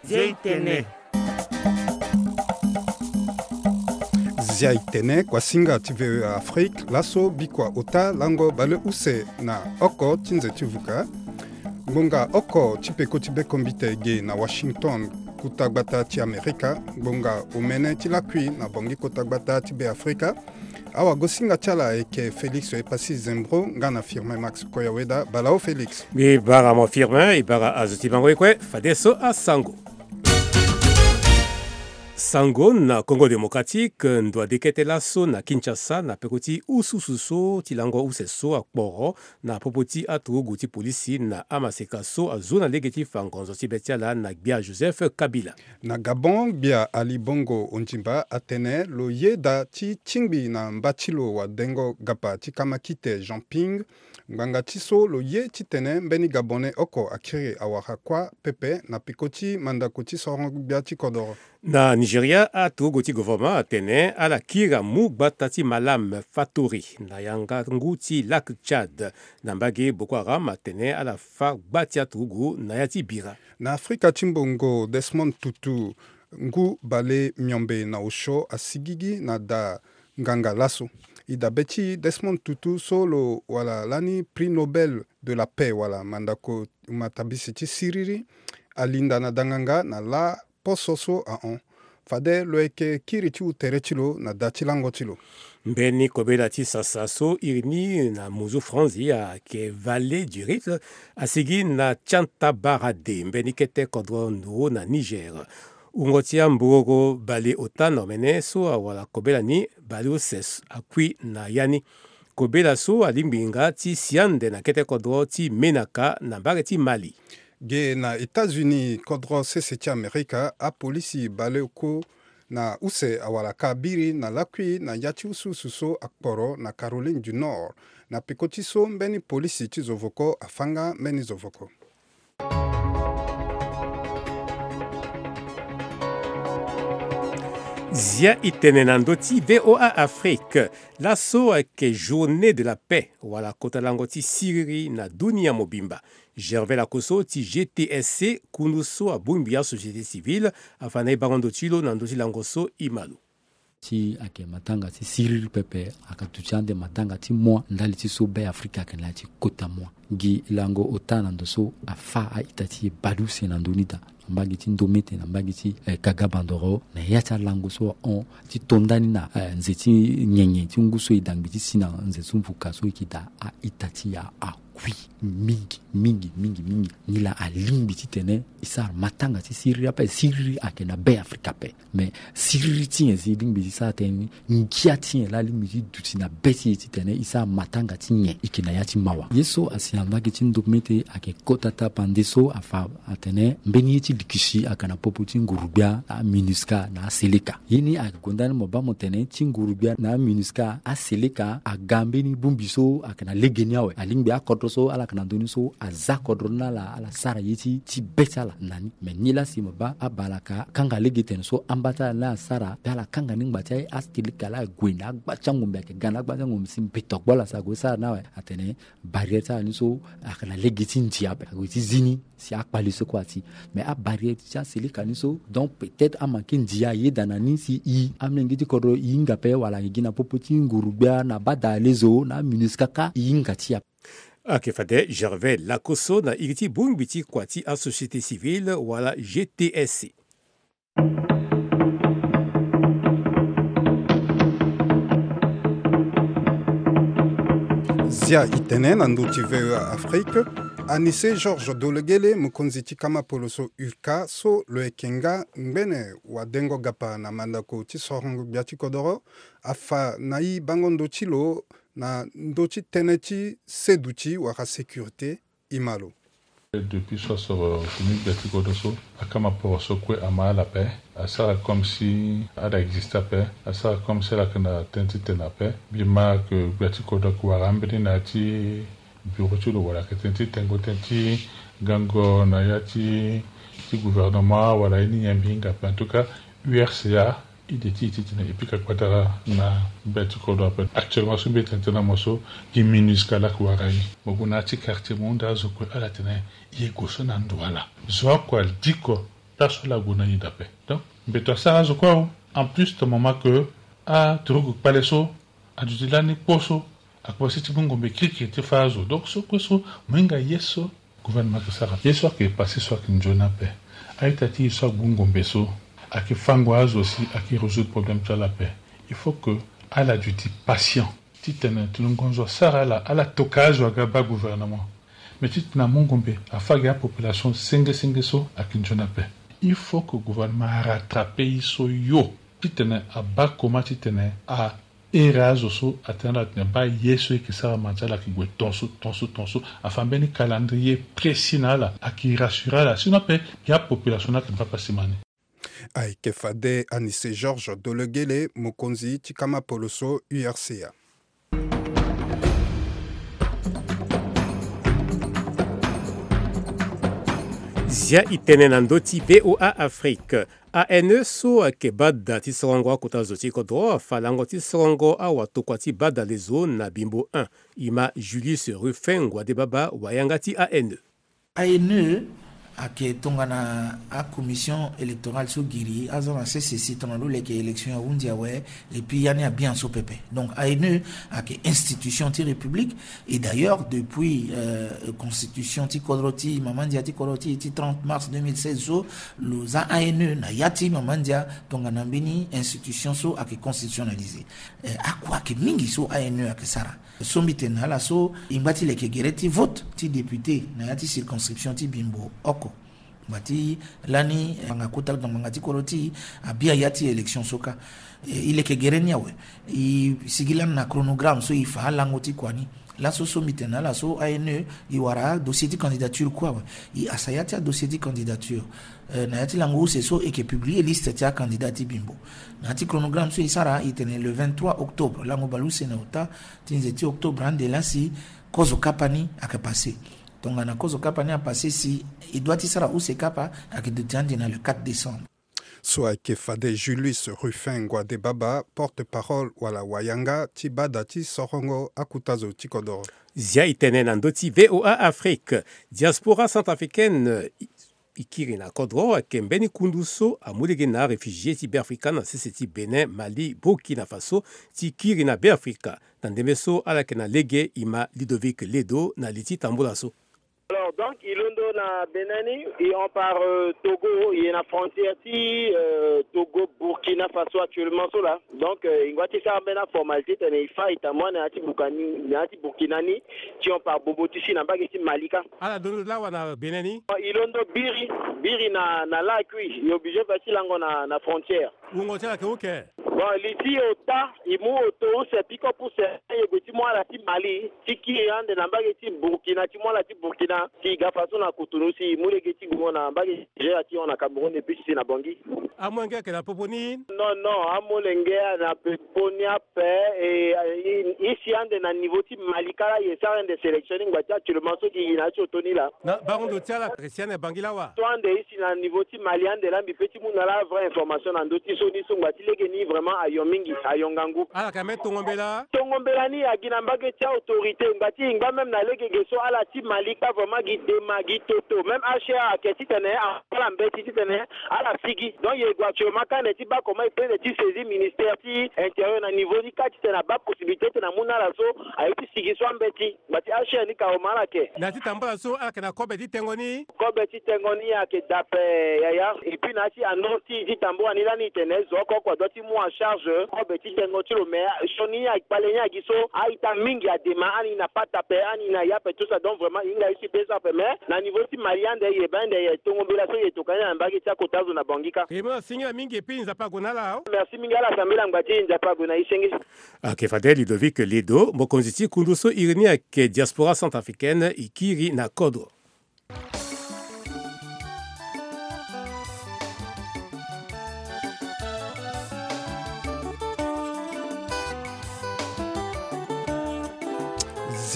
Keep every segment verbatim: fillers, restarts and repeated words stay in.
Zia i tene. Zia i tene, kuasinga ti V O A Afrique, laso bikua ota lango baleuse na oko ti nze ti vuka. Ngbonga oko ti peko ti bekombite ge na Washington, kota gbata ti Amerika, ngbonga omene ti lakui na Bangui kota gbata ti Beafrika. Awagosinga ti ala ayeke Félix Epassi Zembro nga na Firmin Max Koyaweda. Bala o Félix. Mbi bara mo Firmin, e bara azo ti bango ye kue, fadeso asango. Sango na Congo Démocratique, ndo ade kete laso na Kinshasa na peko ti ususu so ti lango use so akporo na popo ti aturugu ti polisi na amaseka so azo na lege ti fa ngonzo ti be ti ala na gbia Joseph Kabila. Na Gabon, gbia Ali Bongo Ondimba atene lo yeda ti tingbi na mba ti lo wadengo gapa ti kamakite Jean Ping, ngbanga ti so lo ye titene mbeni Gabonais oko akiri awara kuâ pepe na peko ti mandako ti sorongo gbia ti kodoro. Na Nigeria, aturugu ti gouvernement atene ala kiri amu gbata ti Malam Fatori na yanga ngu ti Lac Tchad. Na mbage, Boko Haram atene ala fâ gba ti aturugu na ya ti bira. Na Afrika ti Mbongo, Desmond Tutu, ngu bale miombe na osio, asigigi na da nganga laso. E dabe ti Desmond Tutu so lo wala lani Prix Nobel de la Paix wala mandako matabisi ti siriri, alinda na da nganga na lâ poso so ahon. Fade lo yeke kiri ti hu tere ti lo na da ti lango ti lo. Mbeni kobela ti sasa so iri ni na muzu franzi ayeke Vallée du Rift asigi na Tiantabarade, mbeni kete kodro nduru na Niger. Wungo ti ambogoro baleota na omene so awara kobela ni, baleuse akui na ya ni. Kobela so alingbi nga ti si ande na kete kodro ti Menaka na mbage ti Mali. Ge na États-Unis, kodro sese ti Amerika, apolisi baleoko na use awara ka biri na lakui na ya ti usuusu so akporo na Caroline du Nord. Na peko ti so mbeni polisi ti zovoko afâ nga mbeni zovoko. Zia i tene na ndö ti V O A Afrique. Laso ayeke Journée de la Paix wala kota lango ti siriri na dunia mobimba. Gervais Lakosso ti G T S C, kundu so abongbi asociété civile, afa na e bango ndo ti lo na ndö ti lango so. E ma lo. Ti ayeke matanga ti siriri pepe, ayeke duti ande matanga ti moi ndali ti so Beafrika ayeke na ya ti kota moi. Gi lango ota na ndo so afâ a-ita ti e baleuse na ndö ni daa, na mbage ti ndomete, na mbage ti, eh, kaga bandoro, na ya ti alango so ahon ti to ndani na, eh, nze ti nyenye ti ngu so e dangbi ti si na nze ti mvuka so e yeke daa, a-ita ti e akui mingi mingi mingi mingi. Nilaa alingbi titene e sara matanga ti siriri ape. Siriri ayeke na Beafrika ape. Me siriri ti nyen si e lingbi ti sara tënë ni? Ngia ti nyen laa alingbi ti duti na be ti e titene e sara matanga ti nyen? E yeke na ya ti mawa. Ye so asi na mbage ti ndomete ayeke kota tapande so afa atene mbeni ye ti likisi ayeke na popo ti nguru-gbia na aMINUSCA na aSELECA. Ye ni ayeke gonda ni mo baa mo tene ti nguru-gbia na aMINUSCA, aSELECA aga mbeni bongbi so ayeke na legeni awe. Alingbi akodro so ala yeke na ndö ni so aza kodro ni na ala, ala sara ye ti, ti be ti ala na ni. Me nilaa si mo baa abalaka kanga lege tene so amba ti ala ni asara, pe ala kanga ni ngba ti aye, aSELECA laa ague na agba ti angombe, ayeke ga na agba ti angombe si mbeto agbo ala si ague sara ni awe. Atene barrière ti ala ni so ayeke na lege ti ndia ape, ague ti zi ni si akpale so kue ati. Me abarrière ti aSELECA ni so, donc peut-être amanke ndia ayeda na ni si e, amolenge ti kodro, e hinga ape wala e gi na popo ti nguru-gbia na bada alezo na aMINUSCA kâ, e hinga ti e ape. Ayeke fade Gervais Lakosso na iri ti bongbi ti kua ti asociété civile wala G T S C. Zia i tene na ndö ti V O A Afrique, Anissé Georges Dolegele, mokonzi ti kama poloso URCA, so lo yeke nga ngbene wadengo gapa na mandako ti sorongo gbia ti kodoro, afa na e bango ndo ti lo na ndö ti tënë ti seduti wala sécurité. E ma lo. Depuis so asoro tene gbia ti kodro so, akama poroso kue ama ala ape, asara comme si ala existe ape, asara comme si ala yeke na tënë ti tene ape. Mbi ma que gbia ti kodro ayeke wara ambeni na ya ti bureau ti lo wala ayeke tënë ti tengo tënë ti gango na ya ti, ti gouvernement wala ye ni nyen, mbi hinga ape. En tout cas, URCA I de ti e titene e pika gbadara na be ti kodro ape. Actuellement so mbi tene tene na mo so, gi MINUSCA laa ayeke wara e. Mo gue na ya ti quartier, mo hunda azo kue, ala tene e ye gue so na ndo ala. Zo oko ali diko place so ala gue na e daa ape. Donc mbeto asara azo kue awe. En plus, ton moment que aturugu kpale so aduti lani kpo so, akomanse ti mu ngombe kirikiri ti fâ azo. Donc so kue so, mo hinga ye so gouvernement ayeke sara. Ye so ayeke passé so ayeke nzoni ape. A-ita ti e so agbu ngombe so, ayeke fango azo si ayeke résoudre problème ti ala ape. Il faut que ala duti patient. Titene tongana ngonzo asara ala, ala toka azo aga baa gouvernement. Mais titene amu ngombe afâ gi apopulation senge senge so ayeke nzoni ape. Il faut que gouvernement arattrape e so yo. Titene abaa comment titene a ere azo so atene ala tene baa ye so e yeke sara ma ti ala ayeke gue tongaso tongaso tongaso. Afa mbeni calendrier précis na ala, ayeke rassurer ala. Sinon ape, gi apopulation ni ayeke baa pasi mani. Ayeke fade Anise Georges Dolegele, mokonzi ti kama poloso U R C A. Zia e tene na ndö ti V O A Afrique. A N E so ayeke bada ti sorongo akota zo ti kodro afa lango ti sorongo awatokua ti badalezo na Bimbo un. E ma Julius Ruffin Ngwadebaba, wayanga ti A N E. A N E ayeke tongana acommission électorale so giri aza na sese si tongana lo leke élection ahunzi awe. Et puis ya ni abien so pepe. Donc A N E ayeke institution ti République. Et d'ailleurs depuis euh, constitution ti kodro ti mama ndia ti kodro ti e ti trente mars deux mille seize so, lo za A N E na ya ti mama ndia tongana mbeni institution so ayeke constitutionnalisé. Eh, akua ayeke mingi so A N E ayeke sara. So mbi tene na ala so, e ngba ti leke gere ti vote ti député na ya ti circonscription ti Bimbo oko. Ngba ti lani, eh, ngbanga kota na ngbanga ti kodro ti e, abia ya ti élection so kâ. Eh, e leke gere ni awe. E sigi lani na chronogramme so e fa alango ti kua ni. Laso so mbi tene na ala so A N E e wara dossier ti candidature kue awe. E hasa ya ti adossier ti candidature. Eh, na ya ti lango use so e yeke publier liste ti acandidat ti Bimbo. Na ya ti chronogramme so e sara, e tene le vingt-trois octobre, lango bale use na ota ti nze ti octobre ande laa si kozo kapa ni ayeke passé. Tongana kozo kapa ni apassé si e doit ti sara use kapa, ayeke duti ande na le quatre décembre. So ayeke fade Julius Ruffin Ngwadebaba, porte-parole wala wayanga ti bada ti sorongo akota zo ti kodoro. Zia e tene na ndö ti V O A Afrique. Diaspora centrafricaine e kiri na kodro ayeke mbeni kundu so amu lege na aréfugié ti Beafrika na sese ti Bénin, Mali, Burkina Faso ti kiri na Beafrika. Na ndembe so ala yeke na lege, e ma Ludovic Ledo na li ti tambula so. Alors, donc, e londo na Bénin ni, e hon par euh, Togo, e na frontière ti euh, Togo, Burkina Faso actuellement so laa. Donc, euh, e ngba ti sara mbeni aformalité titene e fâ e tambula na ya ti Burkina ni, na ya ti Burkina ni, ti hon par Bobo ti si na mbage ti Mali kâ. Ala londo lawa na Bénin ni? E londo biri, biri na, na lakui, e obligé fa ti lango na, na frontière. Wungo ti ala yeke uke? Bon, li ti e ota, e mu oto use pick-up use, e gue ti mu ala ti Mali, ti kiri ande na mbage ti Burkina, ti mu ala ti Burkina, si e ga faso na Cotonou, si e mu lege ti gongo na mbage ti Nigeria, ti hon na Cameroun, et puis si na Bangui. Amolenge ayeke na popo ni? Non, non, amolenge ayeke na popo ni ape, e, e, e si ande na niveau ti Mali kâ laa, e sara ande sélection ni ngba ti actuellement so gi e na ya ti oto ni laa. Na bango ndo ti ala ayeke si ande na Bangui lawa? So ande e si na niveau ti Mali ande laa mbi pe ti mu na ala avrai information na ndö ti so ni so ngba ti lege ni vraiment ayo mingi, ayo ngangu. Ala yeke na mbeni tongo mbela? Tongo mbela ni agi na mbage ti autorité, ngba ti e ngba même na lege ge so ala ti Mali kâ vraiment gi dema gi toto. Même H C R ayeke titene ala mbeti titene ala sigi. Donc e gue actuellement kâ ande ti baa comment e pe ande ti saisir ministère ti intérieur na niveau ni kâ titene abaa possibilité titene amu na ala so aye ti sigi so ambeti. Ngba ti H C R ni kâ, oma ala yeke. Na ya ti tambula so ala yeke na kobe ti tengo ni? Kobe ti tengo ni ayeke daa ape, yaya. Et puis na ya ti annonce ti e ti tambula ni lani e tene zo oko oko adoit ti mu en charge kobe ti tengo ti lo, mais sioni ni akpale ni agi so a-ita mingi adema, ani na pata ape, ani na ya ape, tout ça. Donc vraiment e hinga e si be so ape, mais na niveau ti Mali ande e yeba ande e tongo mbela so e tokua ni na mbage ti akota zo na Bangui kâ. E mu na singila mingi, et puis Nzapa ague na ala. Merci mingi, ala sambela ngba ti e, Nzapa ague na e senge. Ayeke fade Ludovic Ledo, mokonzi ti kundu so iri ni ayeke Diaspora Centrafricaine, e kiri na kodro.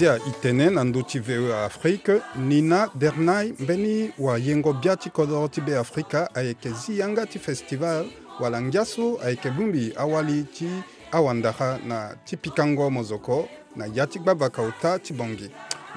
Zia e tene na ndö ti V O A Afrique, Nina Dernay, mbeni wayengo bia ti kodoro ti Beafrika, ayeke zi yanga ti festival wala ngia so ayeke bongbi awali ti awandara na ti pikango mozoko na ya ti gbavaka ota ti Bangui.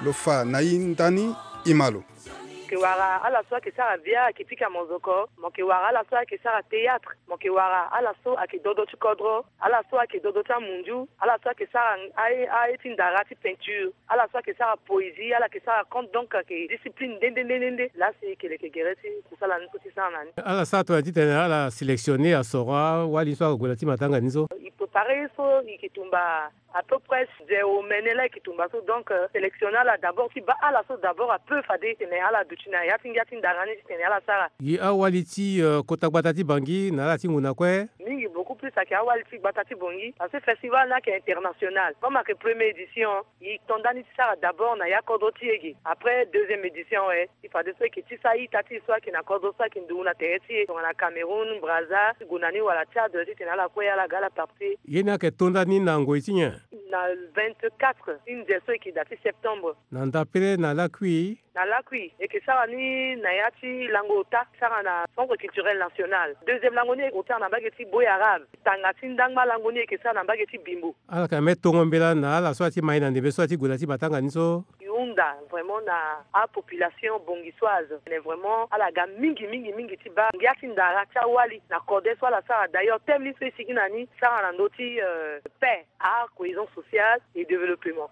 Lo fa na e ndani, e ma lo. Mo yeke wara ala so ayeke sara bia ayeke pika mozoko. Mo yeke wara ala so ayeke sara théâtre. Mo yeke wara ala so ayeke dodo ti kodro, ala so ayeke dodo ti amunzu, ala so ayeke sara aye, aye ti ndara ti peinture, ala so ayeke sara poésie, ala yeke sara conte. Donc ayeke discipline nde nde nde nde nde. Laa si e yeke leke gere ti kusala ni so ti sara na ni. Ala sara tongana titene ala sélectionner asoro awali so ague na ti matanga ni so. E préparer ye so e yeke tumba à peu près ze omene laa e yeke tumba so. Donc euh, sélectionner ala d'abord ti baa ala so d'abord apeut fade titene ala duti na ya ti ngia ti ndara ni titene ala sara. Gi awali ti euh, kota gbata ti Bangui na ala ti ngu na kue. Mingi beaucoup plus ayeke awali ti gbata ti Bangui parce que festival ni ayeke international. Comme ayeke première édition, e to ndani ti sara d'abord na ya kodro ti e ge. Après deuxième édition, eh, ti fadeso e yeke ti sara ita ti e so ayeke na kodro so ayeke nduru na tere ti e tongana Cameroun, Brazza, ti gue na ni wala Tchad titene ala kue ala ga ala participer. Ye ni ayeke to ndani na ngoi ti nyen? Na vingt-quatre ti nze so e yeke daa ti septembre. Na ndapere na lakui? Na lakui e yeke sara ni na ya ti lango ota, sara na Centre Culturel National. Deuxième lango ni e yeke sara na mbage ti Boy Arabe. Tanga ti ndangba lango ni e yeke sara na mbage ti Bimbo. Ala yeke na me tongo mbela na ala so ala ti mai na ndembe so ala ti gue na ti matanga ni so. E hunda vraiment na apopulation bongisoise. Mais vraiment ala ga mingi mingi mingi ti baa ngia ti ndara ti awali na kode so ala sara. D'ailleurs thème ni so e sigi na ni sara na ndö ti euh, paix, art, cohésion sociale et développement.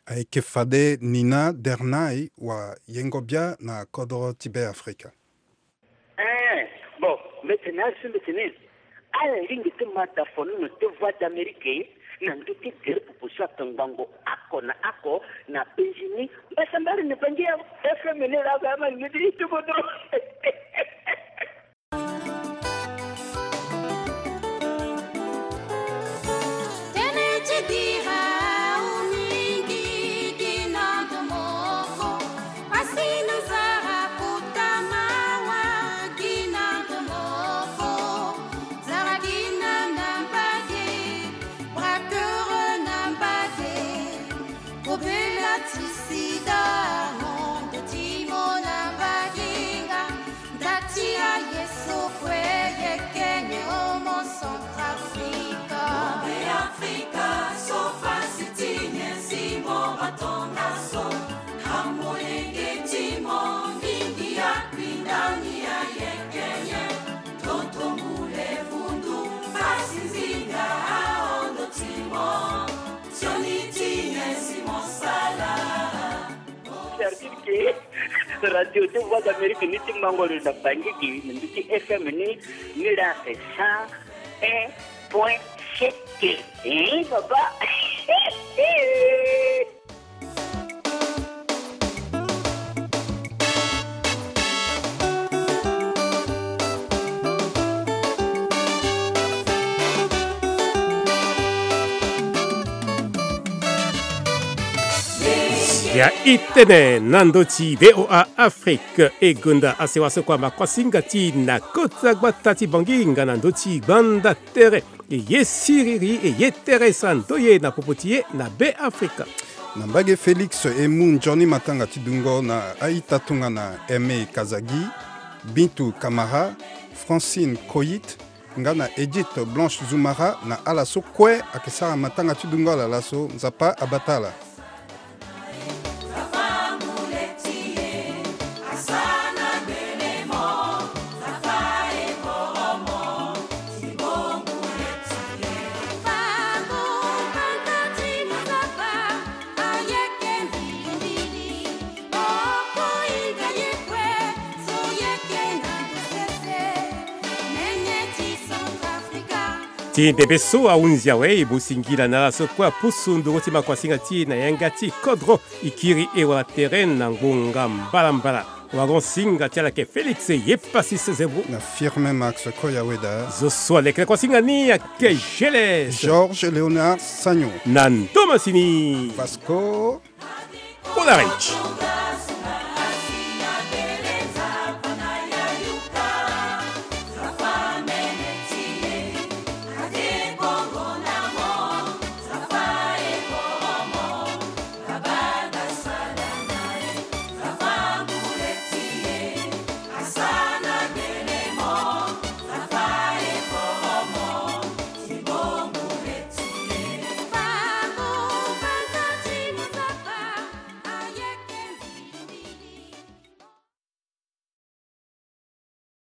Ayeke fade Nina Dernay wa yengo bia na kodro ti Be Afrika. Eh, bon, mbetene asu mbetene. Ala lingbi ti ma da fonono ti Voix d'Amérique na ndö ti gere pupu so atongbango oko na oko na Benjini. Mbasambari ni bangi ya F M ni laa ga ama lingbi ti tukutu. Tene ti dira au mingi gi na ndo moko. Pasi na nzara kota mawa gi na ndo moko. Nzara gi na na mbage, braqueur na mbage. Kobela ti sida, mondo ti mona baginga, ndati ya Yesu kue yekene omo Centrafrique. Be Afrika, so pasi ti nyen si mo matonga so, amolenge ti mo mingi akpindani ya yekene, tonto mule vundu, pasi nzinga aondo ti mo. Sioni ti nyen si mo sala. Certitude ke radio ti Voix d'Amérique ni ti mango lo na Bangui gi na ndö ti F M ni, ni laa c'est cent un point sept. Eh, papa. Ya e tene na ndö ti V O A Afrique, e gonda asewa so kua makuasinga ti e na kota gbata ti Bangui nga na ndö ti gbanda tere. E ye siriri, e ye tere sa ndoye na popo ti e na Be Afrika. Na mbage Félix e mu nzoni matanga ti dungo na a-ita tongana Aimé Kazagi, Bintou Camara, Francine Koyit, nga na Edith Blanche Zoumara, na ala so kue ayeke sara matanga ti dungo ala laso, Nzapa abata ala. Ti ndembe so ahunzi awe, e mu singila na ala so kue apusu nduru ti makuasinga ti e na yanga ti kodro. E kiri e wala tere na ngonga mbalambala. Wagon singa ti ala yeke Félix Yepasi Sezebou. Na Firmin Max Koyaweda. Zo so aleke na kuasinga ni ayeke Geles. Georges Léonard Sagno. Na ndo masini. Vasco Kolarich.